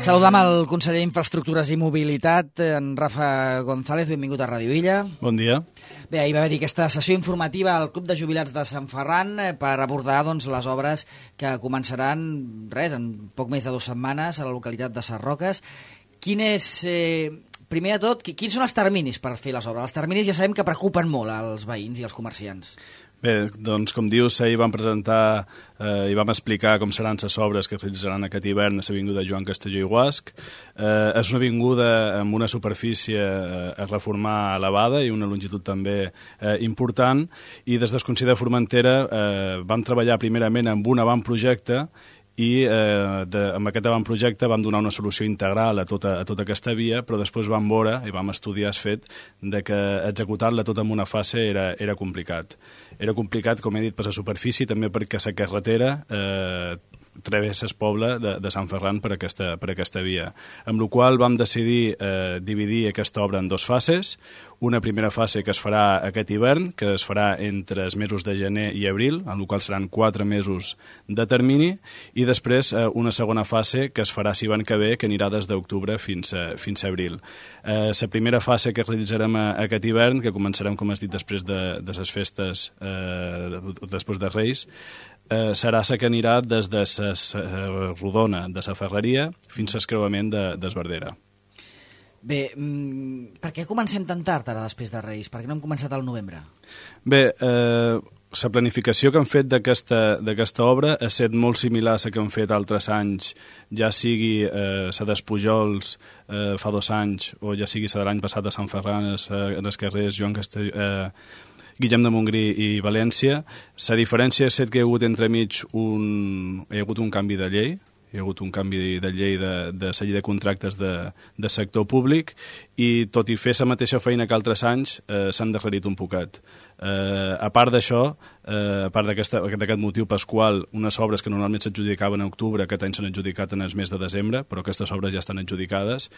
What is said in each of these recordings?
Saludam el conseller d'Infraestructures i Mobilitat, en Rafa González. Benvingut a Ràdio Illa. Bon dia. Bé, ahir va haver-hi aquesta sessió informativa al Club de Jubilats de Sant Ferran per abordar les obres que començaran en poc més de 2 setmanes a la localitat de Sarroques. Primer de tot, quins són els terminis per fer les obres? Els terminis ja sabem que preocupen molt als veïns i als comerciants. Bé, doncs com dius, ahir vam presentar i vam explicar com seran les obres que es realitzaran aquest hivern a l'avinguda Joan Castelló i Guasc. És una avinguda amb una superfície a reformar elevada i una longitud també important, i des del Consell de Formentera vam treballar primerament amb un avantprojecte i amb aquest avantprojecte vam donar una solució integral a tota aquesta via, però després vam veure i vam estudiar el fet de que executar-la tota en una fase era complicat. Era complicat, com he dit, per la superfície, també perquè la carretera travessa el poble de Sant Ferran per aquesta via. Amb la qual vam decidir dividir aquesta obra en 2 fases. Una primera fase que es farà aquest hivern, que es farà entre els mesos de gener i abril, en la qual seran 4 mesos de termini, i després una segona fase que es farà l'hivern que ve, que anirà des d'octubre fins a abril. La primera fase que realitzarem aquest hivern, que començarem, com has dit, després de les festes, després de Reis, serà la que anirà des de la rodona de la Ferreria fins al creuament d'Esbardera. Bé, per què comencem tan tard ara després de Reis? Per què no hem començat al novembre? Bé, la planificació que han fet d'aquesta obra ha estat molt similar a la que han fet altres anys, ja sigui la d'Espujols fa 2 anys o ja sigui la de l'any passat a Sant Ferran, en els carrers Joan Castelló, Guillem de Montgrí i València. La diferència és que hi ha hagut entremig un canvi de llei, hi ha hagut un canvi de llei de la llei de contractes de sector públic, i tot i fer la mateixa feina que altres anys s'han darrerit un poquet. A part d'això, a part d'aquest motiu pel qual unes obres que normalment s'adjudicaven a octubre aquest any s'han adjudicat en el mes de desembre, però aquestes obres ja estan adjudicades,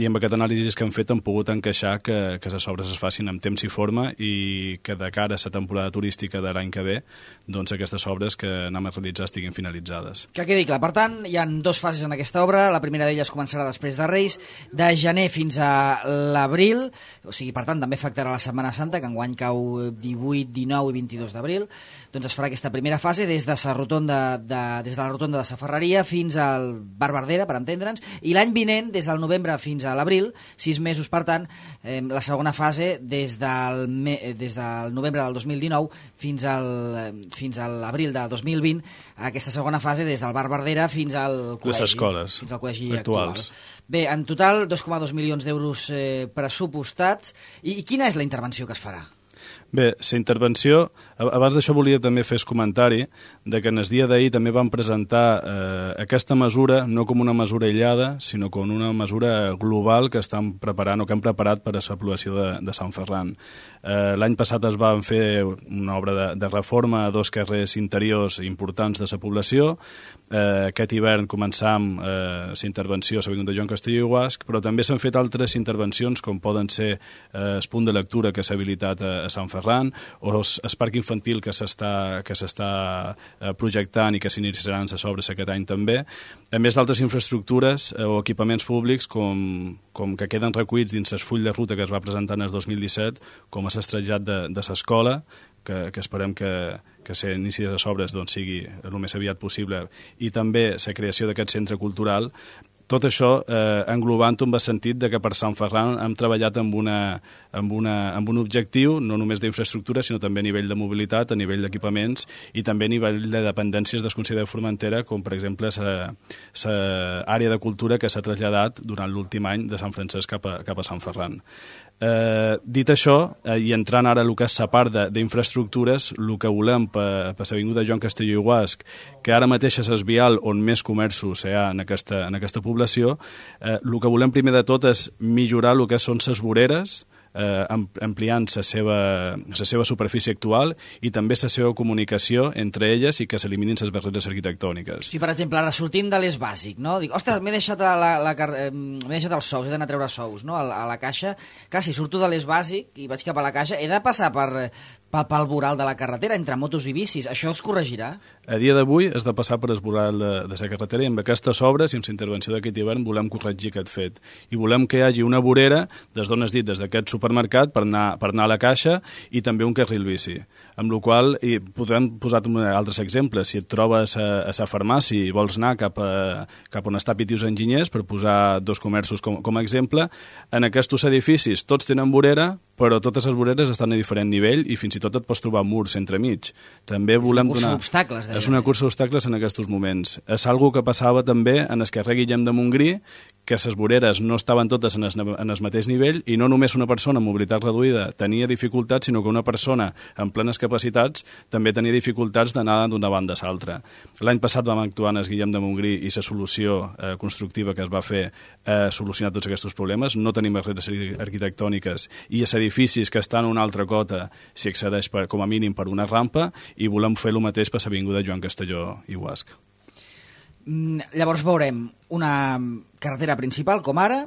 i amb aquest anàlisi que han fet han pogut encaixar que les obres es facin amb temps i forma, i que de cara a la temporada turística de l'any que ve, doncs aquestes obres que anem a realitzar estiguin finalitzades. Que quedi clar. Per tant, hi ha 2 fases en aquesta obra. La primera d'elles començarà després de Reis, de gener fins a l'abril, o sigui, per tant, també afectarà la Setmana Santa, que enguany cau 18, 19 i 22 d'abril. Doncs es farà aquesta primera fase des de la rotonda de la Ferreria fins al Bar Bardera, per entendre'ns, i l'any vinent, des del novembre fins a l'abril, 6 mesos, per tant, la segona fase des del novembre del 2019 fins a l'abril de 2020, aquesta segona fase des del Bar Bardera fins al col·legi. Les escoles fins al col·legi actuals. Bé, en total 2,2 milions d'euros pressupostats. I quina és la intervenció que es farà? Bé, la intervenció, abans d'això volia també fer el comentari de que en el dia d'ahir també vam presentar aquesta mesura no com una mesura aïllada, sinó com una mesura global que estan preparant o que hem preparat per a la població de Sant Ferran. L'any passat es va fer una obra de reforma a 2 carrers interiors importants de la població. Aquest hivern començam la intervenció a l'avinguda Joan Castelló i Guasc, però també s'han fet altres intervencions, com poden ser el punt de lectura que s'ha habilitat a Sant Ferran, o el parc infantil que s'està projectant i que s'iniciaran les obres aquest any també, a més d'altres infraestructures o equipaments públics com que queden recollits dins el full de ruta que es va presentar en el 2017, com a l'estrajat de l'escola, que esperem que l'inici de les obres sigui el més aviat possible, i també la creació d'aquest centre cultural. Tot això englobant amb el sentit de que per Sant Ferran hem treballat amb un objectiu no només d'infraestructura, sinó també a nivell de mobilitat, a nivell d'equipaments i també a nivell de dependències del Consell de Formentera, com per exemple l'àrea de cultura que s'ha traslladat durant l'últim any de Sant Francesc cap a Sant Ferran. Dit això, i entrant ara el que és la part d'infraestructures, el que volem per l'avinguda Joan Castelló i Guasc, que ara mateix és el vial on més comerços hi ha en aquesta població, el que volem primer de tot és millorar el que són les voreres, ampliant la seva superfície actual i també la seva comunicació entre elles i que s'eliminin les barreres arquitectòniques. Sí, per exemple, ara sortint de l'Es Bàsic, no? Dic, ostres, m'he deixat els sous, he d'anar a treure sous, no? A la caixa. Clar, si surto de l'Es Bàsic i vaig cap a la caixa, he de passar pel voral de la carretera, entre motos i bicis. Això es corregirà? A dia d'avui has de passar per el voral de la carretera i amb aquestes obres i amb la intervenció d'aquest hivern volem corregir aquest fet. I volem que hi hagi una vorera, des d'on has dit, des d'aquest supermercat per anar a la caixa i també un carril bici. Amb la qual cosa, podem posar altres exemples. Si et trobes a la farmàcia i vols anar cap on està Pitius Enginyers, per posar dos comerços com a exemple, en aquests edificis tots tenen vorera, però totes les voreres estan a diferent nivell i fins i tot et pots trobar murs entremig. També volem donar... És una cursa d'obstacles en aquests moments. És algo que passava també en el carrer Guillem de Montgrí, que les voreres no estaven totes en el mateix nivell i no només una persona amb mobilitat reduïda tenia dificultats, sinó que una persona amb plenes capacitats també tenia dificultats d'anar d'una banda a l'altra. L'any passat vam actuar en el Guillem de Montgrí i la solució constructiva que es va fer solucionar tots aquests problemes. No tenim barreres arquitectòniques i els edificis que estan a una altra cota s'hi accedeix com a mínim per una rampa i volem fer el mateix per l'avinguda Joan Castelló i Guasc. Llavors veurem una carretera principal, com ara,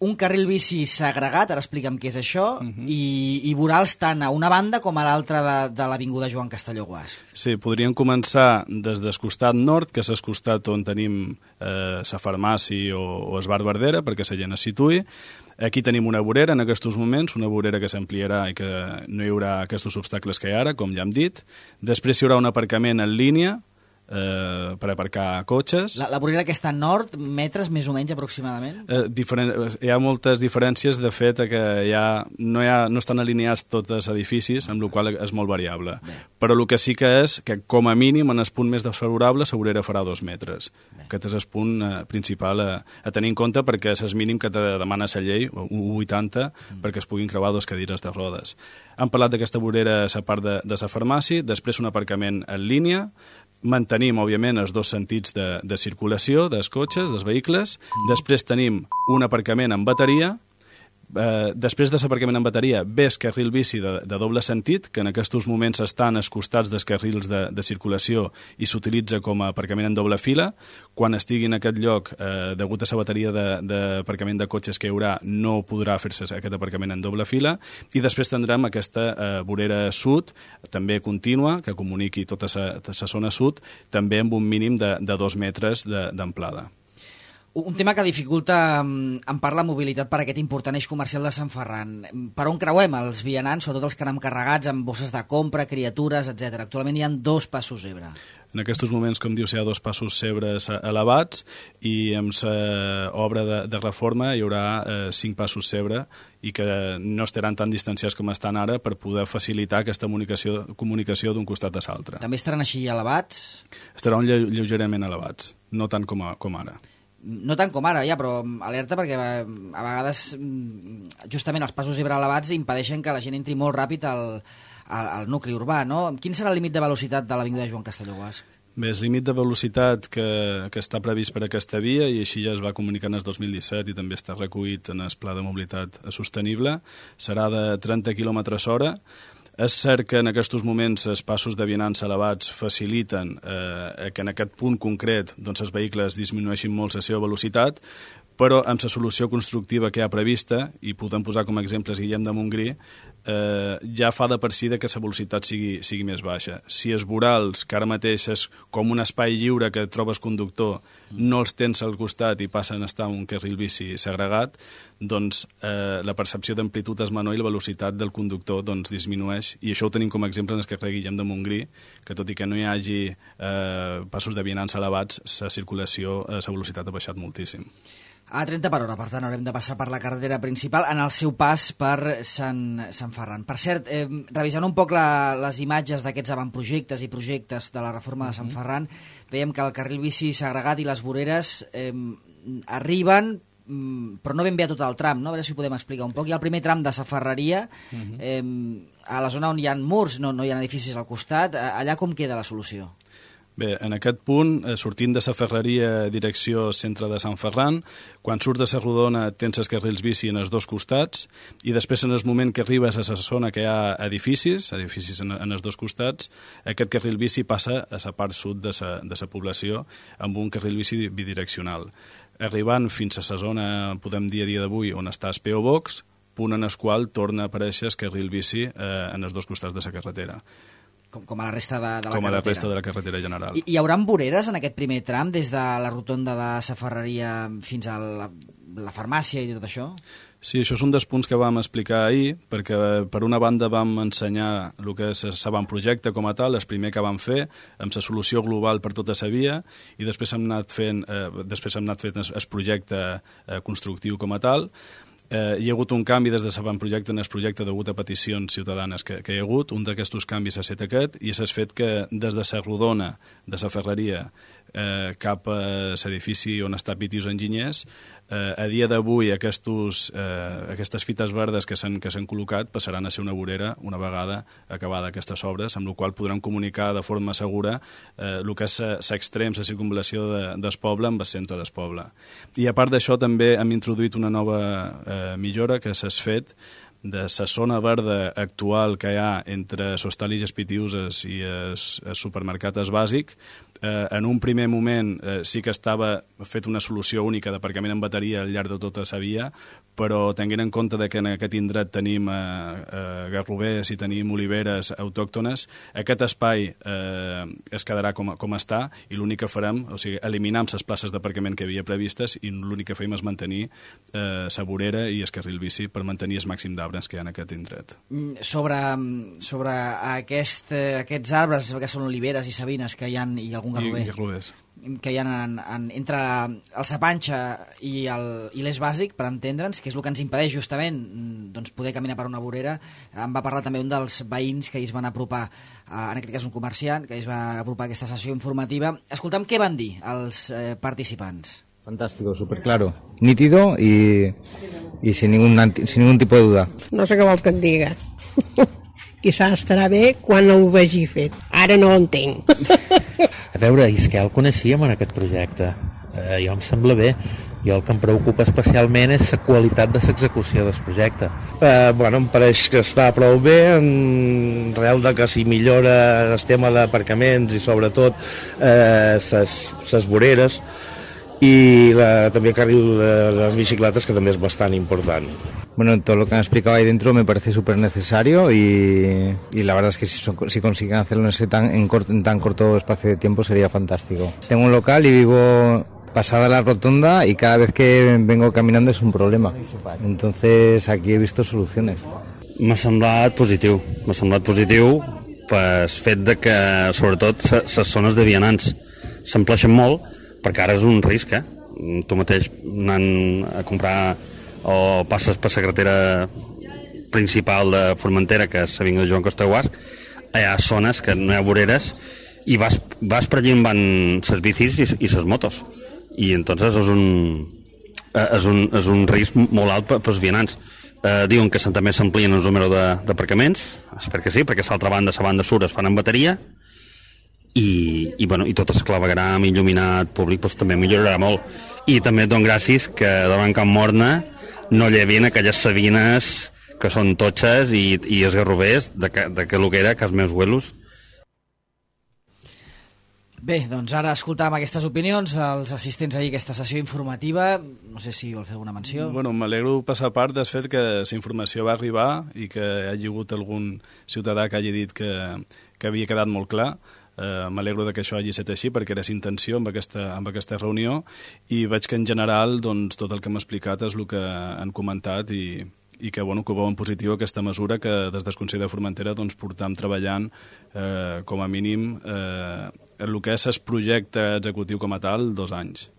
un carril bici segregat, ara explica'm què és això, i vorals tant a una banda com a l'altra de l'avinguda Joan Castelló Guasc. Sí, podríem començar des del costat nord, que és el costat on tenim la farmàcia o el bar Verdera, perquè la gent es situï. Aquí tenim una vorera en aquests moments, una vorera que s'ampliarà i que no hi haurà aquests obstacles que hi ha ara, com ja hem dit. Després hi haurà un aparcament en línia, per aparcar cotxes. La vorera que està a nord, metres més o menys aproximadament? Hi ha moltes diferències, de fet, que no estan alineats tots els edificis, amb la qual és molt variable. Bé. Però el que sí que és que, com a mínim, en el punt més desfavorable, la vorera farà 2 metres. Bé. Aquest és el punt principal a tenir en compte, perquè és el mínim que te demana la llei, 1,80, perquè es puguin creuar 2 cadires de rodes. Hem parlat d'aquesta vorera a la part de la farmàcia, després un aparcament en línia. Mantenim, òbviament, els 2 sentits de circulació dels cotxes, dels vehicles. Després tenim un aparcament en bateria. Després de l'aparcament en bateria ve el carril bici de doble sentit, que en aquests moments estan als costats dels carrils de circulació i s'utilitza com a aparcament en doble fila. Quan estigui en aquest lloc, degut a la bateria d'aparcament de cotxes que hi haurà, no podrà fer-se aquest aparcament en doble fila. I després tindrem aquesta vorera sud, també contínua, que comuniqui tota la zona sud, també amb un mínim de 2 metres d'amplada. Un tema que dificulta en part la mobilitat per aquest important eix comercial de Sant Ferran. Per on creuem els vianants, sobretot els que anem carregats amb bosses de compra, criatures, etc. Actualment hi ha 2 passos zebra. En aquests moments, com dius, hi ha 2 passos zebres elevats i amb l'obra de reforma hi haurà 5 passos zebra i que no estaran tan distanciats com estan ara per poder facilitar aquesta comunicació d'un costat a l'altre. També estaran així elevats? Estaran lleugerament elevats, no tant com ara. No tant com ara, ja, però alerta perquè a vegades justament els passos zebra elevats impedeixen que la gent entri molt ràpid al nucli urbà, no? Quin serà el límit de velocitat de l'avinguda Joan Castelló Guasc? Bé, el límit de velocitat que està previst per aquesta via, i així ja es va comunicar en el 2017 i també està recollit en el Pla de Mobilitat Sostenible, serà de 30 km/h. És cert que en aquests moments els passos de vianants elevats faciliten que en aquest punt concret els vehicles disminueixin molt la seva velocitat, però amb la solució constructiva que hi ha prevista, i podem posar com a exemples Guillem de Montgrí, ja fa de per si que la velocitat sigui més baixa. Si els vorals, que ara mateix és com un espai lliure que trobes conductor, no els tens al costat i passen a estar un carril bici segregat, doncs la percepció d'amplitud és menor i la velocitat del conductor disminueix, i això ho tenim com a exemple en el carrer Guillem de Montgrí, que tot i que no hi hagi passos de vianants elevats, la circulació, la velocitat ha baixat moltíssim. A 30 per hora, per tant, haurem de passar per la carretera principal en el seu pas per Sant Ferran. Per cert, revisant un poc les imatges d'aquests avantprojectes i projectes de la reforma de Sant Ferran, veiem que el carril bici segregat i les voreres arriben, però no ben bé a tot el tram, no? A veure si ho podem explicar un poc. Hi ha el primer tram de la Ferreria, a la zona on hi ha murs, no hi ha edificis al costat. Allà com queda la solució? Bé, en aquest punt, sortint de la Ferreria direcció centre de Sant Ferran, quan surt de la Rodona tens els carrils bici en els 2 costats i després en el moment que arribes a la zona que hi ha edificis en els 2 costats, aquest carril bici passa a la part sud de la població amb un carril bici bidireccional. Arribant fins a la zona, podem dir a dia d'avui, on està el P.O. Box, punt en el qual torna a aparèixer el carril bici en els dos costats de la carretera. Com a la resta de la carretera. Com a la resta de la carretera general. Hi haurà voreres en aquest primer tram, des de la rotonda de la Ferreria fins a la farmàcia i tot això? Sí, això és un dels punts que vam explicar ahir, perquè per una banda vam ensenyar el que és l'avantprojecte com a tal, el primer que vam fer, amb la solució global per tota la via, i després hem anat fent el projecte constructiu com a tal. Hi ha hagut un canvi des de l'avantprojecte en el projecte degut a peticions ciutadanes que hi ha hagut. Un d'aquests canvis ha estat aquest, i és el fet que des de la rodona de la Ferreria cap a l'edifici on està Pitius Enginyers, a dia d'avui aquestes fites verdes que s'han col·locat passaran a ser una vorera una vegada acabada aquestes obres, amb la qual podran comunicar de forma segura el que és l'extrem, la circunvalació del poble amb el centre del poble. I a part d'això també hem introduït una nova millora, que és el fet de la zona verda actual que hi ha entre l'Hostal i les Pitiuses i el supermercat bàsic. En un primer moment sí que estava fet una solució única d'aparcament en bateria al llarg de tota la via, però tenint en compte que en aquest indret tenim garrovers i tenim oliveres autòctones, aquest espai es quedarà com està, i l'únic que farem, o sigui, eliminar les places d'aparcament que havia previstes, i l'únic que fem és mantenir la vorera i el carril bici per mantenir el màxim d'arbres que hi ha en aquest indret. Sobre aquests arbres, que són oliveres i sabines que hi ha, i algun garrover, que hi ha entre el Sapanxa i l'eix bàsic, per entendre'ns, que és el que ens impedeix justament poder caminar per una vorera. Em va parlar també un dels veïns que es van apropar, en aquest cas un comerciant, que es va apropar a aquesta sessió informativa. Escolta'm què van dir els participants. Fantástico, súper claro, nítido y sin ningún tipo de duda. No sé què vols que et diga. Quizás estarà bé quan ho vegi fet. Ara no ho entenc. A veure, és que ja el coneixíem en aquest projecte. Jo em sembla bé. Jo el que em preocupa especialment és la qualitat de l'execució del projecte. Em pareix que està prou bé, en real de que si millora el tema d'aparcaments i sobretot les voreres, y també el carril de las bicicletas, que també és bastant important. Bueno, todo lo que han explicado ahí dentro me parece súper necesario y la verdad es que si consiguen hacerlo en tan corto espacio de tiempo sería fantástico. Tengo un local y vivo pasada la rotonda y cada vez que vengo caminando es un problema. Entonces aquí he visto soluciones. M'ha semblat positiu pel fet de que, sobretot, les zones de vianants s'empleixen molt, perquè ara és un risc, Tu mateix anant a comprar o passes per la carretera principal de Formentera, que és l'avinguda Joan Costa Guasc, hi ha zones que no hi ha voreres i vas per allí on van les bicis i les motos. I entonces és un risc molt alt pels vianants. Diuen que també s'amplien el número d'aparcaments, espero que sí, perquè l'altra banda, la banda sur, es fan en bateria, i tot el clavegram il·luminat públic també millorarà molt. I també et dono gràcies que davant Can Morna no llevin aquelles sabines que són totxes i els garrovers de que el que era cas meus huelos. Bé, doncs ara escoltàvem aquestes opinions dels assistents ahir a aquesta sessió informativa. No sé si vol fer alguna menció. M'alegro passar part del fet que la informació va arribar i que hi hagi hagut algun ciutadà que hagi dit que havia quedat molt clar. M'alegro que això hagi estat així, perquè era intenció amb aquesta reunió, i veig que en general tot el que m'ha explicat és el que han comentat i que veuen positiu aquesta mesura que des del Consell de Formentera portam treballant com a mínim el que és el projecte executiu com a tal 2 anys.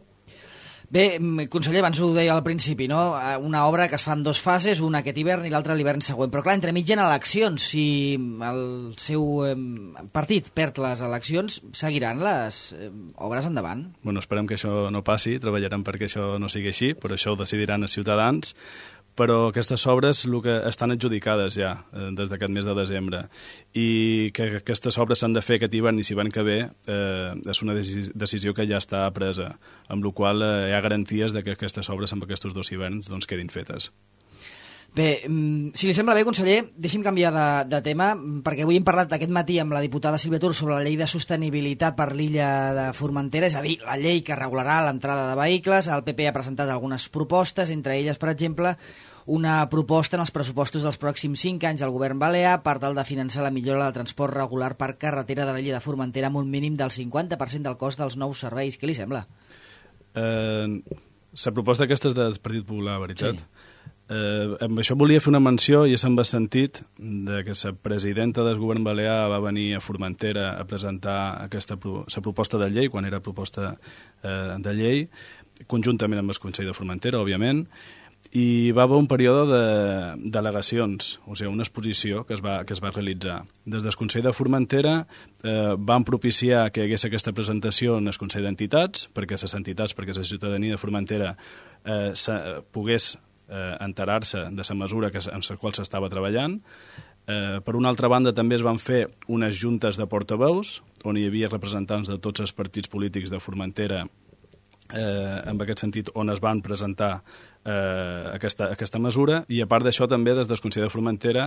Bé, conseller, abans ho deia al principi, no? Una obra que es fa en 2 fases, una aquest hivern i l'altra l'hivern següent. Però clar, entremig hi ha eleccions. Si el seu partit perd les eleccions, seguiran les obres endavant? Esperem que això no passi, treballarem perquè això no sigui així, però això ho decidiran els ciutadans. Però aquestes obres estan adjudicades ja des d'aquest mes de desembre, i que aquestes obres s'han de fer aquest hivern i si van que ve és una decisió que ja està presa, amb la qual hi ha garanties que aquestes obres amb aquests 2 hiverns quedin fetes. Bé, si li sembla bé, conseller, deixi'm canviar de tema, perquè avui hem parlat aquest matí amb la diputada Sílvia Tur sobre la llei de sostenibilitat per l'illa de Formentera, és a dir, la llei que regularà l'entrada de vehicles. El PP ha presentat algunes propostes, entre elles, per exemple, una proposta en els pressupostos dels pròxims 5 anys del govern balear per tal de finançar la millora del transport regular per carretera de l'illa de Formentera amb un mínim del 50% del cost dels nous serveis. Què li sembla? La proposta aquesta és del Partit Popular, veritat? Sí. Amb això volia fer una menció i se'm va sentit de que la presidenta del govern balear va venir a Formentera a presentar la proposta de llei, quan era proposta de llei, conjuntament amb el Consell de Formentera, òbviament, i va haver un període de delegacions, o sigui, una exposició que es va realitzar. Des del Consell de Formentera van propiciar que hi hagués aquesta presentació en el Consell d'Entitats, perquè les entitats, perquè la ciutadania de Formentera pogués enterar-se de la mesura en la qual s'estava treballant. Per una altra banda, també es van fer unes juntes de portaveus, on hi havia representants de tots els partits polítics de Formentera, en aquest sentit, on es van presentar aquesta mesura, i a part d'això també des del Consell de Formentera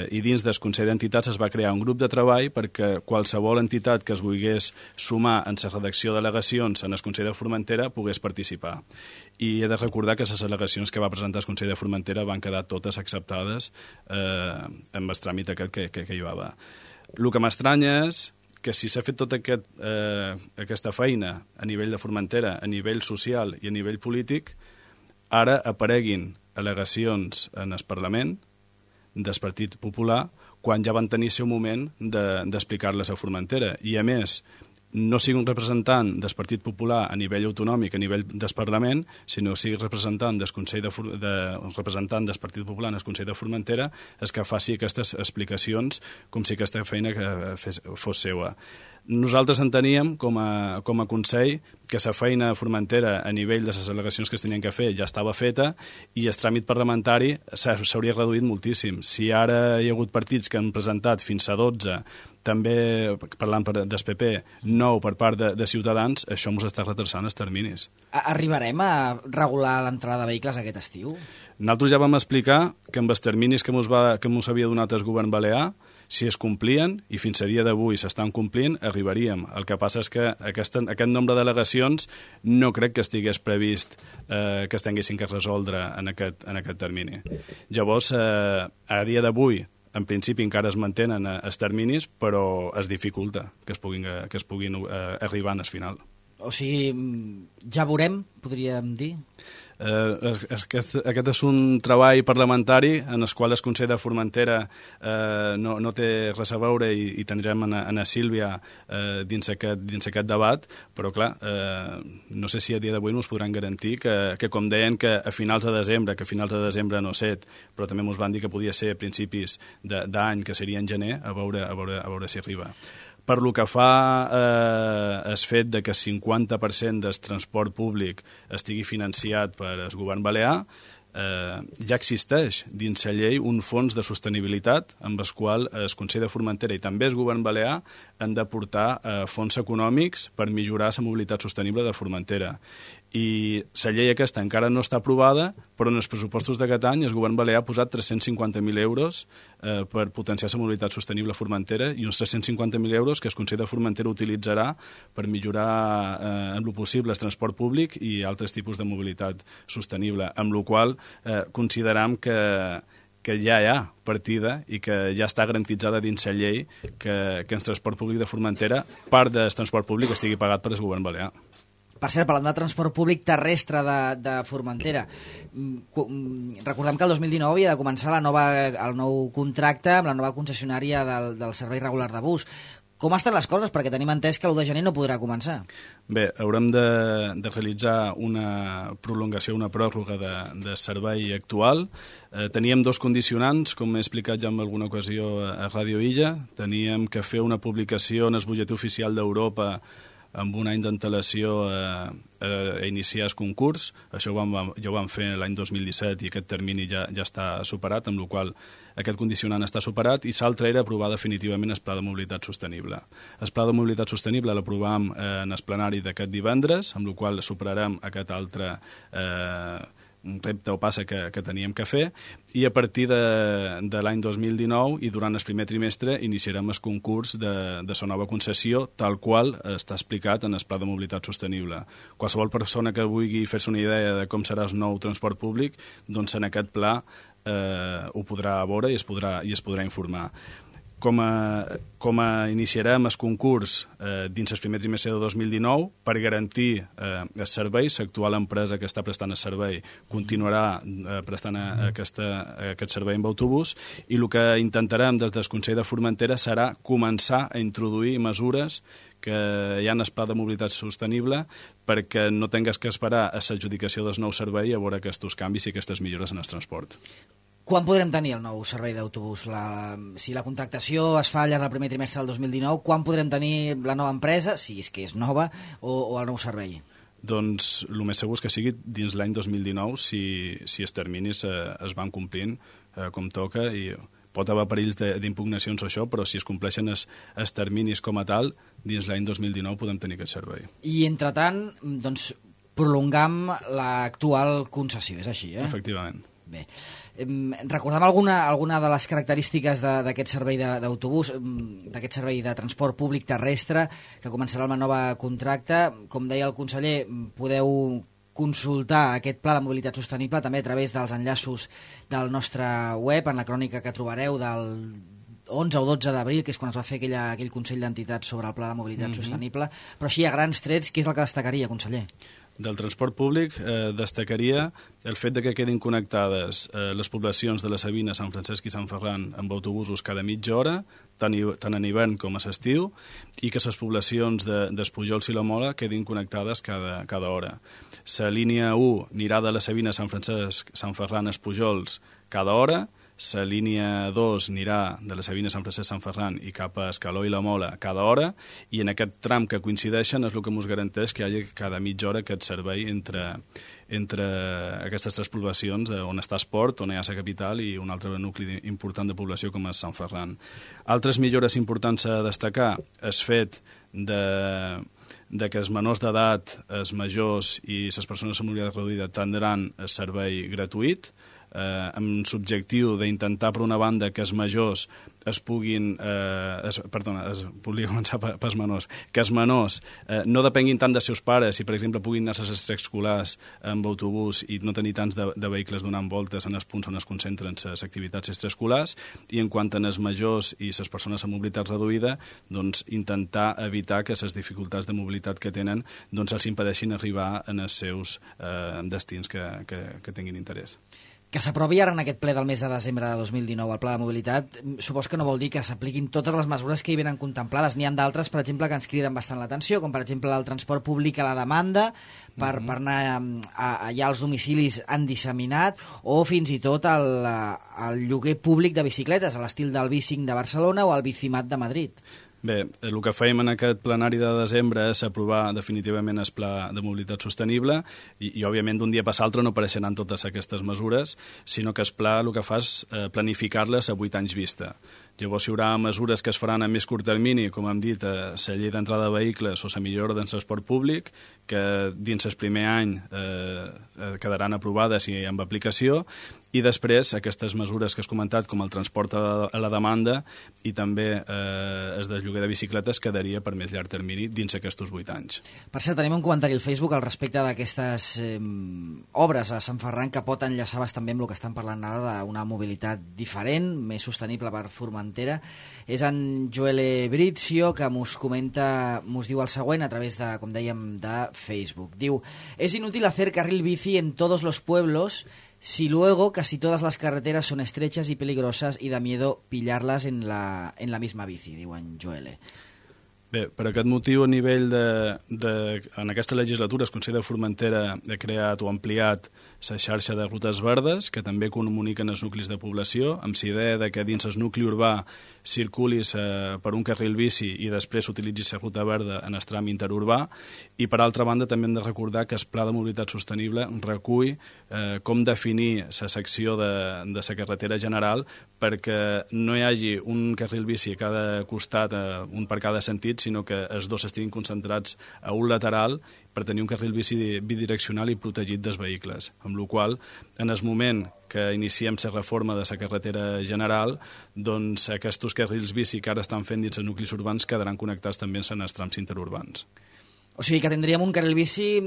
i dins del Consell d'Entitats es va crear un grup de treball perquè qualsevol entitat que es volgués sumar en la redacció d'al·legacions en el Consell de Formentera pogués participar. I he de recordar que les al·legacions que va presentar el Consell de Formentera van quedar totes acceptades amb el tràmit aquest que hi va haver. El que m'estranya és que si s'ha fet tota aquesta feina a nivell de Formentera, a nivell social i a nivell polític, ara apareguin al·legacions en el Parlament del Partit Popular quan ja van tenir el seu moment d'explicar-les a Formentera. I, a més, no sigui un representant del Partit Popular a nivell autonòmic, a nivell del Parlament, sinó sigui representant representant del Partit Popular en el Consell de Formentera, és que faci aquestes explicacions com si aquesta feina fos seva. Nosaltres enteníem, com a Consell, que la feina de Formentera a nivell de les al·legacions que es tenien que fer ja estava feta i el tràmit parlamentari s'hauria reduït moltíssim. Si ara hi ha hagut partits que han presentat fins a 12, també, parlant del PP, 9 per part de Ciutadans, això ens està retrasant els terminis. Arribarem a regular l'entrada de vehicles aquest estiu? Nosaltres ja vam explicar que amb els terminis que ens havia donat el govern balear, si es complien, i fins a dia d'avui s'estan complint, arribaríem. El que passa és que aquest nombre d'al·legacions no crec que estigués previst que es tinguessin que resoldre en aquest termini. Llavors, a dia d'avui, en principi encara es mantenen els terminis, però es dificulta que es puguin arribar al final. O sigui, ja veurem, podríem dir? Aquest és un treball parlamentari en el qual el Consell de Formentera no té res a veure i tindrem a Sílvia dins aquest debat, però clar, no sé si a dia d'avui ens podran garantir que com deien que a finals de desembre no set, però també ens van dir que podia ser a principis d'any, que seria en gener, a veure si arriba. Per lo que fa el fet de que el 50% del transport públic estigui financiat per el govern balear, ja existeix dins la llei un fons de sostenibilitat amb el qual el Consell de Formentera i també el govern balear han d'aportar fons econòmics per millorar la mobilitat sostenible de Formentera. I la llei aquesta encara no està aprovada, però en els pressupostos d'aquest any el govern balear ha posat 350.000 euros per potenciar la mobilitat sostenible a Formentera i uns 350.000 euros que el Consell de Formentera utilitzarà per millorar en lo possible el transport públic i altres tipus de mobilitat sostenible, amb la qual consideram que ja hi ha partida i que ja està garantitzada dins la llei que el transport públic de Formentera, part del transport públic estigui pagat per el govern balear. Per cert, parlant de transport públic terrestre de Formentera, recordem que el 2019 havia de començar el nou contracte amb la nova concessionària del servei regular de bus. Com estan les coses? Perquè tenim entès que l'1 de gener no podrà començar. Bé, haurem de realitzar una prolongació, una pròrroga de servei actual. Teníem dos condicionants, com he explicat ja en alguna ocasió a Ràdio Illa. Teníem que fer una publicació en el butlletí oficial d'Europa amb un any d'antelació a iniciar el concurs. Això ja ho vam fer l'any 2017 i aquest termini ja està superat, amb la qual aquest condicionant està superat, i l'altre era aprovar definitivament el Pla de Mobilitat Sostenible. El Pla de Mobilitat Sostenible l'aprovam en el plenari d'aquest divendres, amb la qual superarem aquest altre un repte o passa que teníem que fer, i a partir de l'any 2019 i durant el primer trimestre iniciarem el concurs de la nova concessió, tal qual està explicat en el Pla de Mobilitat Sostenible. Qualsevol persona que vulgui fer-se una idea de com serà el nou transport públic, doncs en aquest pla ho podrà veure i es podrà informar. Com iniciarem el concurs dins el primer trimestre de 2019 per garantir el servei. L'actual empresa que està prestant el servei continuarà prestant aquest servei amb autobús, i el que intentarem des del Consell de Formentera serà començar a introduir mesures que hi ha en el Pla de Mobilitat Sostenible perquè no tingues que esperar a l'adjudicació del nou servei a veure aquests canvis i aquestes millores en el transport. Quan podrem tenir el nou servei d'autobús? Si la contractació es fa al llarg del primer trimestre del 2019, quan podrem tenir la nova empresa, si és que és nova, o el nou servei? Doncs el més segur és que sigui dins l'any 2019 si els terminis es van complint com toca, i pot haver perills d'impugnacions o això, però si es compleixen els terminis com a tal, dins l'any 2019 podem tenir aquest servei. I entretant, doncs, prolongam l'actual concessió, és així, eh? Efectivament. Bé. Recordem alguna de les característiques d'aquest servei d'autobús, d'aquest servei de transport públic terrestre, que començarà el nova contracte. Com deia el conseller, podeu consultar aquest pla de mobilitat sostenible també a través dels enllaços del nostre web, en la crònica que trobareu del 11 o 12 d'abril, que és quan es va fer aquell Consell d'Entitats sobre el pla de mobilitat sostenible. Però així, a grans trets, què és el que destacaria, conseller? Del transport públic destacaria el fet de que quedin connectades les poblacions de la Sabina, Sant Francesc i Sant Ferran amb autobusos cada mitja hora, tant en hivern com a l'estiu, i que les poblacions d'Espujols i la Mola quedin connectades cada hora. La línia 1 anirà de la Sabina, Sant Francesc, Sant Ferran, Espujols cada hora. La línia 2 anirà de la Sabina, Sant Francesc, Sant Ferran i cap a Escaló i la Mola cada hora, i en aquest tram que coincideixen és el que ens garanteix que hi hagi cada mitja hora aquest servei entre aquestes tres poblacions, on està Esport, on hi ha la capital, i un altre nucli important de població com és Sant Ferran. Altres millores importants a destacar és fet de que els menors d'edat, els majors i les persones amb mobilitat reduïda tindran el servei gratuït, amb l'objectiu d'intentar, per una banda, que els majors volia començar pels menors, que els menors no depenguin tant dels seus pares i, per exemple, puguin anar a les extraescolars amb autobús i no tenir tants de vehicles donant voltes en els punts on es concentren les activitats extraescolars, i en quant a les majors i les persones amb mobilitat reduïda, doncs intentar evitar que les dificultats de mobilitat que tenen els impedeixin arribar en els seus destins que tinguin interès. Que s'aprovi ara en aquest ple del mes de desembre de 2019 el pla de mobilitat, supos que no vol dir que s'apliquin totes les mesures que hi venen contemplades. N'hi ha d'altres, per exemple, que ens criden bastant l'atenció, com per exemple el transport públic a la demanda, per anar allà als domicilis en disseminat, o fins i tot el lloguer públic de bicicletes, a l'estil del Bicing de Barcelona o el Bicimat de Madrid. Bé, el que fèiem en aquest plenari de desembre és aprovar definitivament el Pla de Mobilitat Sostenible i òbviament, d'un dia per l'altre no apareixeran totes aquestes mesures, sinó que el pla el que fa és planificar-les a 8 anys vista. Llavors hi haurà mesures que es faran a més curt termini, com hem dit, la llei d'entrada de vehicles o la millora del transport públic, que dins el primer any quedaran aprovades i amb aplicació, i després aquestes mesures que has comentat, com el transport a la demanda i també el de lloguer de bicicletes, quedaria per més llarg termini dins aquests 8 anys. Per cert, tenim un comentari al Facebook al respecte d'aquestes obres a Sant Ferran que pot enllaçar bastant bé amb el que estan parlant ara d'una mobilitat diferent, més sostenible per Formentera. És en Joel Brizio que mos comenta, mos diu el següent a través de, com dèiem, de Facebook. Diu, es inútil hacer carril bici en todos los pueblos si luego casi todas las carreteras son estrechas y peligrosas y da miedo pillarlas en la misma bici, diu en Joel. Bé, per aquest motiu, a nivell en aquesta legislatura, el Consell de Formentera ha creat o ampliat la xarxa de rutes verdes, que també comuniquen els nuclis de població, amb la idea de que dins el nucli urbà circulis per un carril bici i després s'utilitzi la ruta verda en el tram interurbà. I, per altra banda, també hem de recordar que el Pla de Mobilitat Sostenible recull com definir la secció de la carretera general perquè no hi hagi un carril bici a cada costat, un per cada sentit, sinó que els dos estiguin concentrats a un lateral per tenir un carril bici bidireccional i protegit dels vehicles, amb la qual en el moment que iniciem la reforma de la carretera general, doncs aquests carrils bici que ara estan fent dins els nuclis urbans quedaran connectats també en els trams interurbans. O sigui que tindríem un carril bici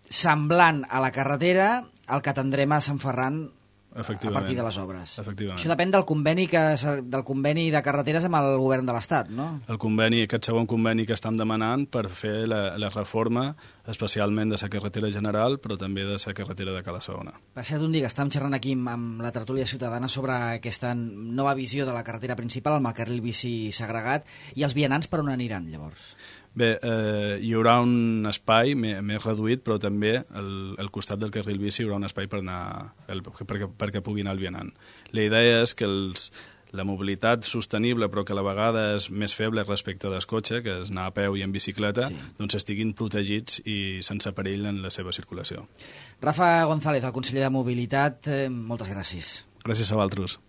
semblant a la carretera al que tindrem a Sant Ferran a partir de les obres. Això depèn del conveni de carreteres amb el govern de l'Estat, no? El conveni, aquest segon conveni que estem demanant per fer la reforma, especialment de la carretera general, però també de la carretera de Cala Segona. Per cert, un dia que estàvem xerrant aquí amb la tertúlia ciutadana sobre aquesta nova visió de la carretera principal, amb el carril bici segregat, i els vianants per on aniran, llavors? Bé, hi haurà un espai més reduït, però també al costat del carril bici hi haurà un espai per anar perquè pugui anar el vianant. La idea és que la mobilitat sostenible, però que a la vegada és més feble respecte del cotxe, que és anar a peu i en bicicleta, doncs estiguin protegits i sense perill en la seva circulació. Rafa González, el conseller de Mobilitat, moltes gràcies. Gràcies a vosaltres.